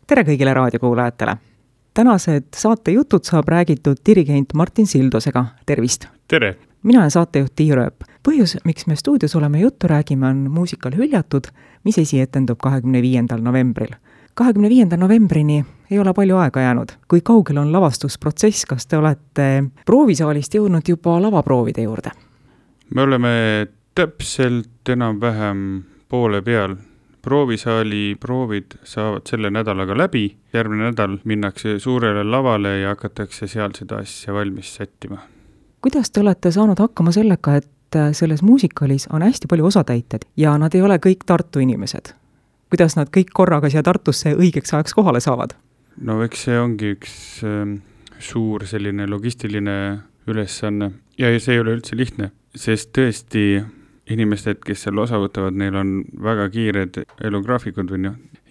Tere kõigile raadiokuulajatele! Tänased saatejutud saab räägitud dirigent Martin Sildosega. Tervist! Tere! Mina olen saatejuht Tiia Rööp. Põhjus, miks me stuudios oleme juttu räägime, on muusikal Hüljatud, mis esietendub 25. novembril. 25. novembrini ei ole palju aega jäänud. Kui kaugel on lavastusprotsess, kas te olete proovisaalist jõudnud juba lavaproovide juurde? Me oleme täpselt enam-vähem poole peal. Proovisaali proovid saavad selle nädalaga läbi. Järgmine nädal minnakse suurele lavale ja hakatakse seal seda asja valmis sättima. Kuidas te olete saanud hakkama sellega, et selles muusikalis on hästi palju osatäited ja nad ei ole kõik Tartu inimesed? Kuidas nad kõik korraga siia Tartusse õigeks ajaks kohale saavad? No eks see ongi üks suur selline logistiline ülesanne ja see ei ole üldse lihtne, sest tõesti inimesed, kes seal osa võtavad, neil on väga kiired elugraafikud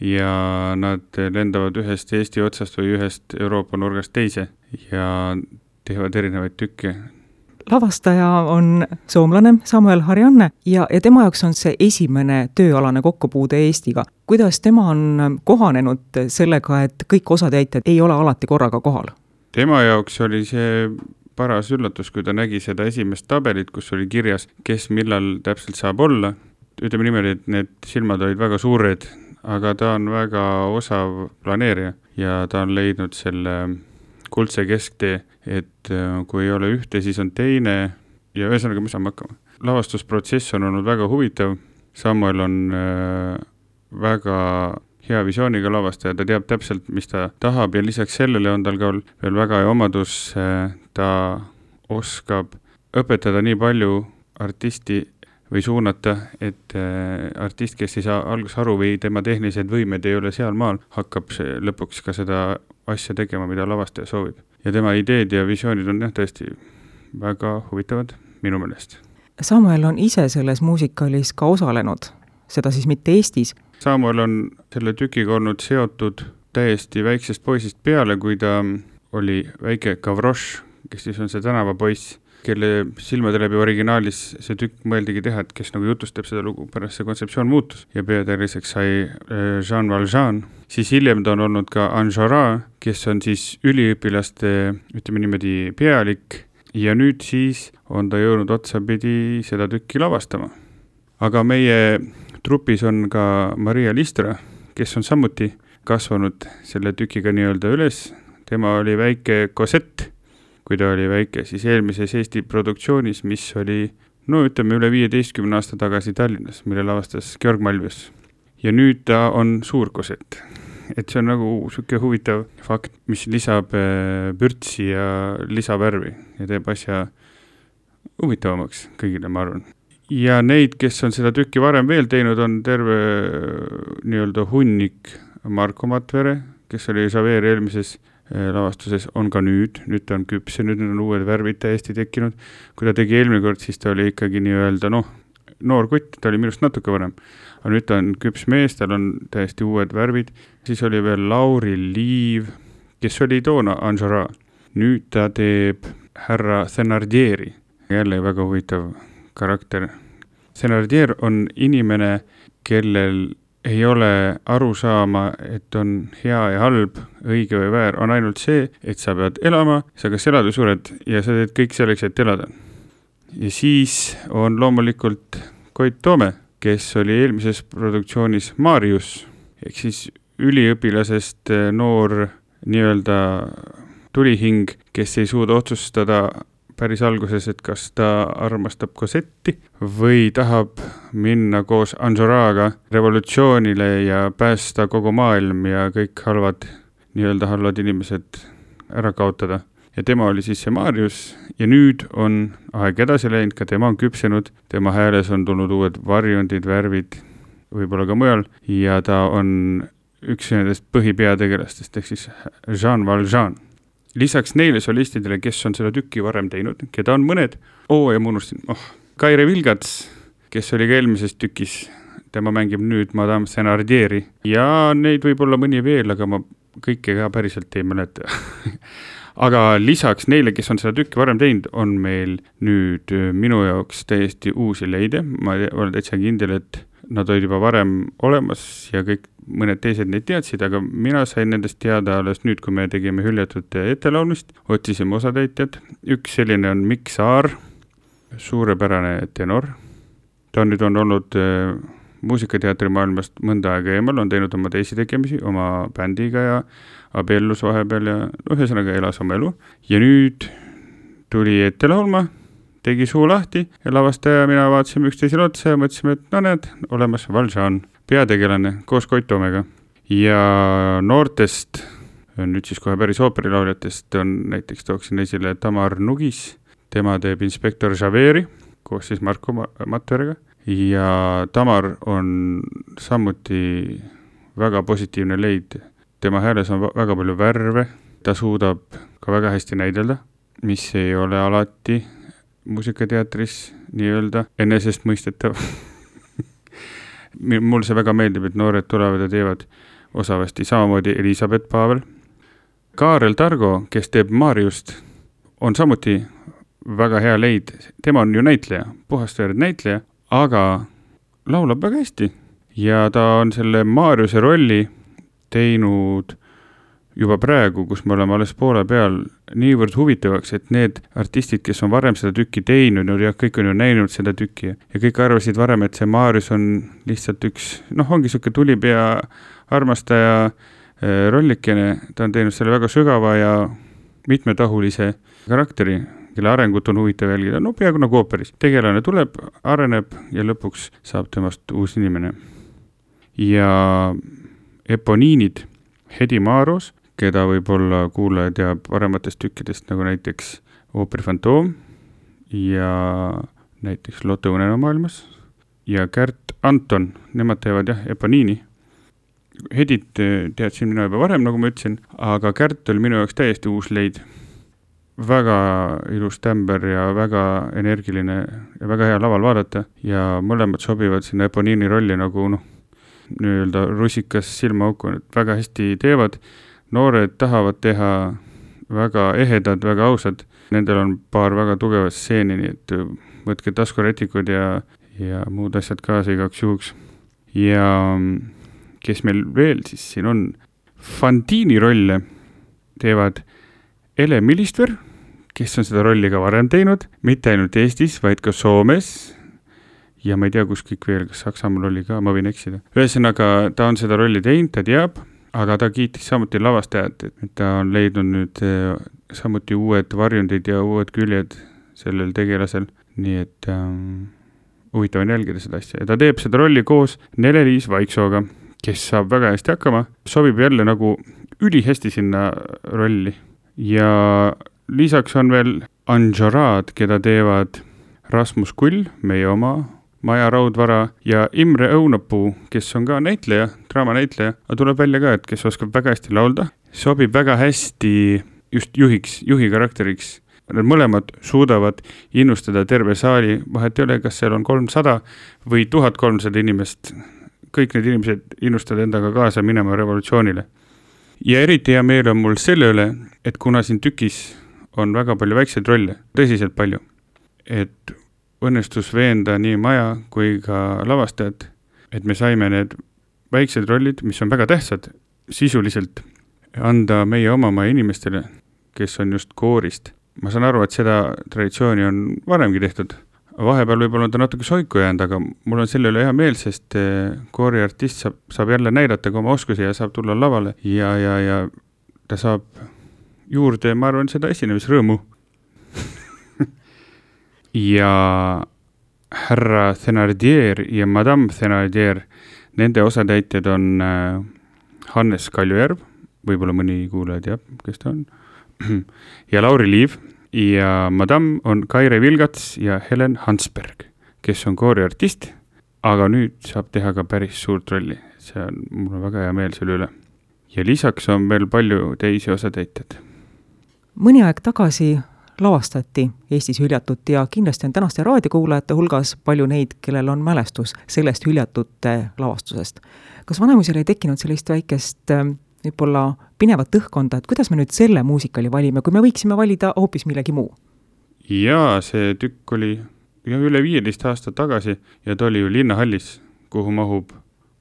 ja nad lendavad ühest Eesti otsast või ühest Euroopa nurgast teise ja teevad erinevaid tükke. Lavastaja on soomlane Samuel Harjanne ja tema jaoks on see esimene tööalane kokkupuude Eestiga. Kuidas tema on kohanenud sellega, et kõik osatäited ei ole alati korraga kohal? Tema jaoks oli see paras üllatus, kui ta nägi seda esimest tabelit, kus oli kirjas, kes millal täpselt saab olla. Ütleme niimoodi, et need silmad olid väga suured, aga ta on väga osav planeerija ja ta on leidnud selle kuldse kesktee, et kui ei ole ühte, siis on teine ja ühesõnaga me saame hakkama. Lavastusprotsess on olnud väga huvitav. Samuel on väga hea visiooniga lavastaja, ta teab täpselt, mis ta tahab ja lisaks sellele on tal ka veel väga hea omadus, ta oskab õpetada nii palju artisti või suunata, et artist, kes ei saa alguses aru või tema tehnilised võimed ei ole seal maal, hakkab lõpuks ka seda asja tegema, mida lavastaja soovib. Ja tema ideed ja visioonid on tõesti väga huvitavad minu meelest. Samuel on ise selles muusikalis ka osalenud, seda siis mitte Eestis. Samuel on selle tükiga olnud seotud täiesti väiksest poisist peale, kui ta oli väike Gavroš, kes siis on see tänavapoiss, kelle silmade läbi originaalis see tükk mõeldigi teha, et kes nagu jutustab seda lugu, pärast see kontseptsioon muutus ja peategelaseks sai Jean Valjean. Siis hiljem ta on olnud ka Enjolras, kes on siis üliõpilaste, ütleme niimoodi, pealik ja nüüd siis on ta jõudnud otsapidi seda tükki lavastama. Aga meie trupis on ka Maria Listra, kes on samuti kasvanud selle tükiga nii-öelda üles. Tema oli väike Cosette, kui ta oli väike, siis eelmises Eesti produktsioonis, mis oli, ütleme üle 15 aasta tagasi Tallinnas, mille lavastas Georg Malvius. Ja nüüd ta on suur Cosette. Et see on nagu selline huvitav fakt, mis lisab pürtsi ja lisavärvi ja teeb asja huvitavamaks kõigile, ma arvan. Ja neid, kes on seda tükki varem veel teinud, on terve nii-öelda hunnik Marko Matvere, kes oli Javert eelmises lavastuses, on ka nüüd ta on küps ja nüüd on uued värvid täiesti tekkinud. Kui ta tegi eelmine kord, siis ta oli ikkagi nii-öelda noor kutt, ta oli minust natuke varem. Aga nüüd ta on küps mees, tal on täiesti uued värvid. Siis oli veel Lauri Liiv, kes oli toona Enjolras. Nüüd ta teeb härra Thenardieri, jälle väga huvitav karakter. Thenardier on inimene, kellel ei ole aru saama, et on hea ja halb, õige või väär, on ainult see, et sa pead elama, sa kas elad või sured ja sa teed kõik selleks, et elada. Ja siis on loomulikult Koit Toome, kes oli eelmises produktsioonis Marius, ehk siis üliõpilasest noor nii-öelda tulihing, kes ei suuda otsustada päris alguses, et kas ta armastab Cosetti või tahab minna koos Enjolraga revolutsioonile ja päästa kogu maailm ja kõik halvad inimesed ära kaotada. Ja tema oli siis see Marius ja nüüd on aeg edasi läinud, ka tema on küpsenud, tema hääles on tulnud uued varjundid, värvid, võib-olla ka mujal ja ta on üks nendest põhipeategelastest, ehk siis Jean Valjean. Lisaks neile solistidele, kes on seda tükki varem teinud, keda on mõned, ja ma unustasin, Kaire Vilgats, kes oli ka eelmises tükis, tema mängib nüüd Madame Thenardieri ja neid võib olla mõni veel, aga ma kõike ka päriselt ei mäleta. Aga lisaks neile, kes on seda tükki varem teinud, on meil nüüd minu jaoks täiesti uusi leide. Ma olen täitsa kindel, et nad olid juba varem olemas ja kõik mõned teised neid teadsid, aga mina sain nendest teada alles nüüd, kui me tegime hüljatud ettelaulmist, otsisime osatäitjad. Üks selline on Mikk Saar, suurepärane tenor. Ta nüüd on olnud muusikateatri maailmast mõnda aega eemal, on teinud oma teisi tegemisi oma bändiga ja abiellus vahepeal ja ühesõnaga elas oma elu. Ja nüüd tuli ette laulma, tegi suu lahti ja lavastaja ja mina vaatasime üksteisele otsa ja mõtlesime, et no need, olemas Valjean, peategelane koos Koit Toomega. Ja noortest, nüüd siis kohe päris ooperilauljatest on näiteks tooksin esile Tamar Nugis, tema teeb inspektor Javeri koos siis Marko Matveriga ja Tamar on samuti väga positiivne leid. Tema hääles on väga palju värve, ta suudab ka väga hästi näidelda, mis ei ole alati muusikateatris nii-öelda enesestmõistetav. Mul see väga meeldib, et noored tulevad ja teevad osavasti samamoodi Elisabeth Pavel. Kaarel Targo, kes teeb Mariust, on samuti väga hea leid. Tema on ju näitleja, puhastveerd näitleja, aga laulab väga hästi. Ja ta on selle Mariuse rolli teinud juba praegu, kus me oleme alles poole peal, niivõrd huvitavaks, et need artistid, kes on varem seda tükki teinud, ja kõik on ju näinud seda tükki ja kõik arvasid varem, et see Marius on lihtsalt üks, ongi siuke tulipea armastaja rollikene, ta on teinud selle väga sügava ja mitmetahulise karakteri, kelle arengut on huvitav jälgida, peaaegu nagu ooperis. Tegelane tuleb, areneb ja lõpuks saab temast uus inimene. Ja Eponiinid, Hedi Maaros, keda võib-olla kuulaja teab parematest tükkidest, nagu näiteks Ooperi Fantoom ja näiteks Lotte Unenäomaailmas ja Kärt Anton, nemad teevad Eponiini. Hedit teadsin mina juba varem, nagu ma ütlesin, aga Kärt oli minu jaoks täiesti uus leid. Väga ilus tämber ja väga energiline ja väga hea laval vaadata ja mõlemad sobivad sinna Eponiini rolli nagu nii-öelda rusikas silmaauku, väga hästi teevad. Noored tahavad teha väga ehedad, väga ausad. Nendel on paar väga tugevat stseeni, nii et võtke taskurätikud ja muud asjad kaasa igaks juhuks. Ja kes meil veel siis siin on? Fantini rolle teevad Ele Millistver, kes on seda rolli ka varem teinud, mitte ainult Eestis, vaid ka Soomes. Ja ma ei tea, kus kõik veel, kas Saksamaal oli ka, ma võin eksida. Ühesõnaga, ta on seda rolli teinud, ta teab, aga ta kiitis samuti lavastajat, et ta on leidnud nüüd samuti uued varjundid ja uued küljed sellel tegelasel, nii et huvitav on jälgida seda asja. Ja ta teeb seda rolli koos Nele-Liis Vaiksooga, kes saab väga hästi hakkama, sobib jälle nagu ülihästi sinna rolli. Ja lisaks on veel Anjoraad, keda teevad Rasmus Kull, meie oma Maja Raudvara ja Imre Õunapuu, kes on ka näitleja, draamanäitleja, aga tuleb välja ka, et kes oskab väga hästi laulda, sobib väga hästi just juhi karakteriks. Need mõlemad suudavad innustada terve saali, vahet ei ole, kas seal on 300 või 1300 inimest. Kõik need inimesed innustavad endaga kaasa minema revolutsioonile. Ja eriti hea meel on mul selle üle, et kuna siin tükis on väga palju väikseid rolle, tõsiselt palju, et õnnestus veenda nii Maja kui ka lavastajad, et me saime need väiksed rollid, mis on väga tähtsad, sisuliselt anda meie oma inimestele, kes on just koorist. Ma saan aru, et seda traditsiooni on varemgi tehtud. Vahepeal võib-olla on ta natuke soiku jäänud, aga mul on selle üle hea meel, sest kooriartist saab jälle näidata ka oma oskusi ja saab tulla lavale ja ta saab juurde, ma arvan, seda esinemisrõõmu. Ja härra Thenardier ja Madame Thenardier, nende osatäitjad on Hannes Kaljujärv, võib-olla mõni kuulaja teab, kes ta on, ja Lauri Liiv ja Madame on Kaire Vilgats ja Helen Hansberg, kes on kooriartist, aga nüüd saab teha ka päris suurt rolli. Mul on väga hea meel selle üle. Ja lisaks on veel palju teisi osatäitjad. Mõni aeg tagasi lavastati Eestis hüljatut ja kindlasti on tänaste raadiokuulajate hulgas palju neid, kellel on mälestus sellest hüljatute lavastusest. Kas Vanemuisel ei tekkinud sellist väikest võib-olla pinevat õhkonda, et kuidas me nüüd selle muusikali valime, kui me võiksime valida hoopis millegi muu? Jaa, see tükk oli üle 15 aastat tagasi ja ta oli ju Linnahallis kuhu mahub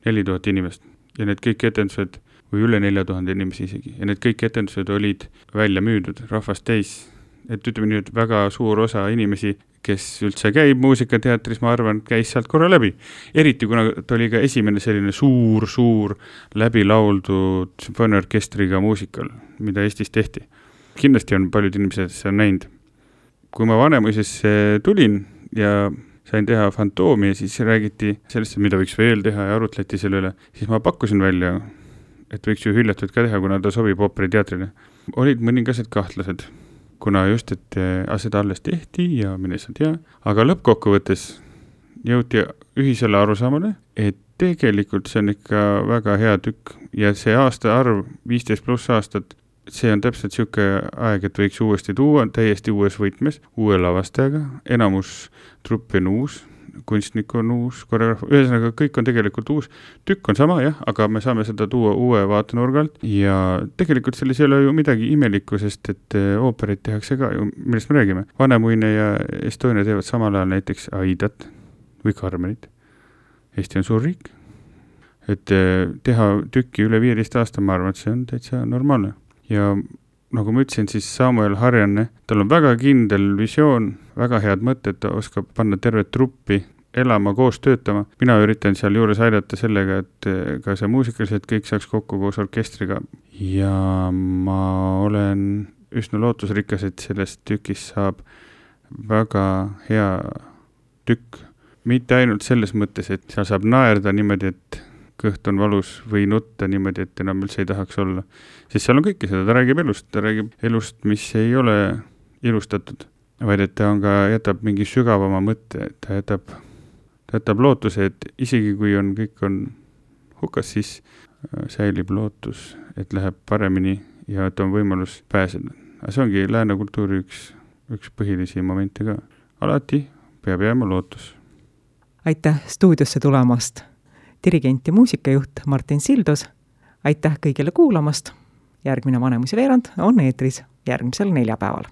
4000 inimest ja need kõik etendused või üle 4000 inimesi isegi ja need kõik etendused olid välja müüdud, rahvast täis. Et ütleme nii, et väga suur osa inimesi, kes üldse käib muusikateatris, ma arvan, käis sealt korra läbi. Eriti kuna ta oli ka esimene selline suur läbi lauldud sümfooniaorkestriga muusikal, mida Eestis tehti. Kindlasti on paljud inimesed see on näinud. Kui ma Vanemuisesse tulin ja sain teha Fantoomi ja siis räägiti sellest, mida võiks veel teha ja arutleti selle üle, siis ma pakkusin välja, et võiks ju Hüljatud ka teha, kuna ta sobib ooperiteatrile. Olid mõningased kahtlased, kuna just, et seda alles tehti ja mine sa tea, aga lõppkokkuvõttes jõuti ühisele arusaamale, et tegelikult see on ikka väga hea tükk ja see aasta arv, 15+ aastat, see on täpselt siuke aeg, et võiks uuesti tuua täiesti uues võtmes, uue lavastajaga, enamus truppi on uus, kunstnik on uus, koreograaf, ühesõnaga kõik on tegelikult uus, tükk on sama jah, aga me saame seda tuua uue vaatenurgalt ja tegelikult selles ei ole ju midagi imelikku, sest et ooperit tehakse ka ju, millest me räägime. Vanemuine ja Estonia teevad samal ajal näiteks Aidat või Carmenit. Eesti on suur riik, et teha tükki üle 15 aasta, ma arvan, et see on täitsa normaalne. Ja nagu ma ütlesin, siis Samuel Harjanne, tal on väga kindel visioon, väga head mõtted, ta oskab panna tervet truppi elama, koos töötama. Mina üritan seal juures aidata sellega, et ka see muusikaliselt kõik saaks kokku koos orkestriga. Ja ma olen üsna lootusrikas, et sellest tükis saab väga hea tükk. Mitte ainult selles mõttes, et seal saab naerda niimoodi, et kõht on valus või nutta niimoodi, et enam üldse ei tahaks olla. Siis seal on kõike seda, ta räägib elust, mis ei ole ilustatud, vaid et ta on ka, jätab mingi sügavama mõtte, et ta jätab lootuse, et isegi kui kõik on hukas, siis säilib lootus, et läheb paremini ja et on võimalus pääseda. Aga see ongi lääne kultuuri üks põhilisi momente ka. Alati peab jääma lootus. Aitäh stuudiosse tulemast! Dirigent ja muusikajuht Martin Sildos, aitäh kõigile kuulamast. Järgmine Vanemuise veerand on eetris järgmisel neljapäeval.